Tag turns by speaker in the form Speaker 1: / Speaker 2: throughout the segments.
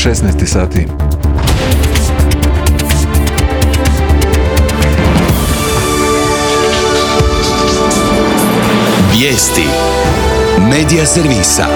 Speaker 1: 16 sati.
Speaker 2: Vijesti Medija servisa.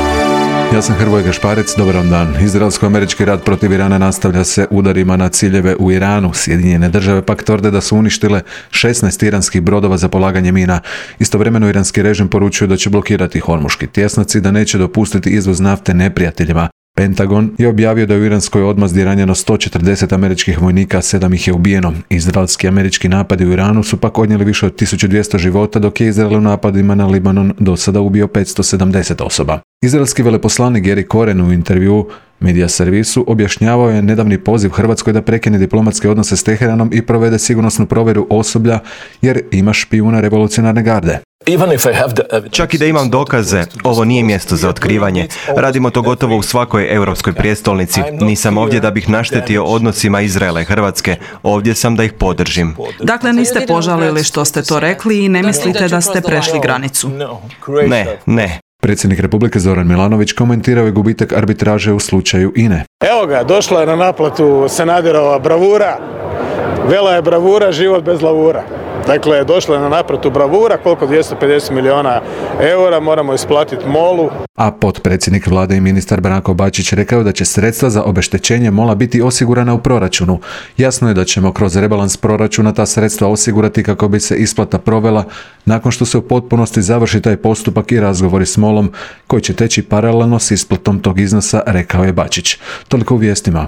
Speaker 1: Ja sam Hrvoje Gašparec, dobar vam dan. Izraelsko-američki rat protiv Irana nastavlja se udarima na ciljeve u Iranu. Sjedinjene države pak tvrde da su uništile 16 iranskih brodova za polaganje mina. Istovremeno iranski režim poručuje da će blokirati Hormuški tjesnac i da neće dopustiti izvoz nafte neprijateljima. Pentagon je objavio da je u iranskoj odmazdi ranjeno 140 američkih vojnika, 7 ih je ubijeno. Izraelski američki napadi u Iranu su pak odnijeli više od 1200 života, dok je Izrael u napadima na Libanon do sada ubio 570 osoba. Izraelski veleposlanik Geri Koren u intervjuu Medija servisu objašnjavao je nedavni poziv Hrvatskoj da prekine diplomatske odnose s Teheranom i provede sigurnosnu provjeru osoblja jer ima špijuna revolucionarne garde.
Speaker 3: Čak i da imam dokaze, ovo nije mjesto za otkrivanje. Radimo to gotovo u svakoj europskoj prijestolnici. Nisam ovdje da bih naštetio odnosima Izraela i Hrvatske. Ovdje sam da ih podržim.
Speaker 4: Dakle, niste požalili što ste to rekli i ne mislite da ste prešli granicu?
Speaker 3: Ne.
Speaker 1: Predsjednik Republike Zoran Milanović komentirao je gubitak arbitraže u slučaju INA-e.
Speaker 5: Evo ga, došla je na naplatu Sanaderova bravura. Vela je bravura, život bez lavura. Dakle, došla je na naplatu bravura, koliko 250 milijuna eura moramo isplatiti MOL-u.
Speaker 1: A potpredsjednik vlade i ministar Branko Bačić rekao da će sredstva za obeštećenje MOL-a biti osigurana u proračunu. Jasno je da ćemo kroz rebalans proračuna ta sredstva osigurati kako bi se isplata provela nakon što se u potpunosti završi taj postupak i razgovori s MOL-om koji će teći paralelno s isplatom tog iznosa, rekao je Bačić. Toliko u vijestima.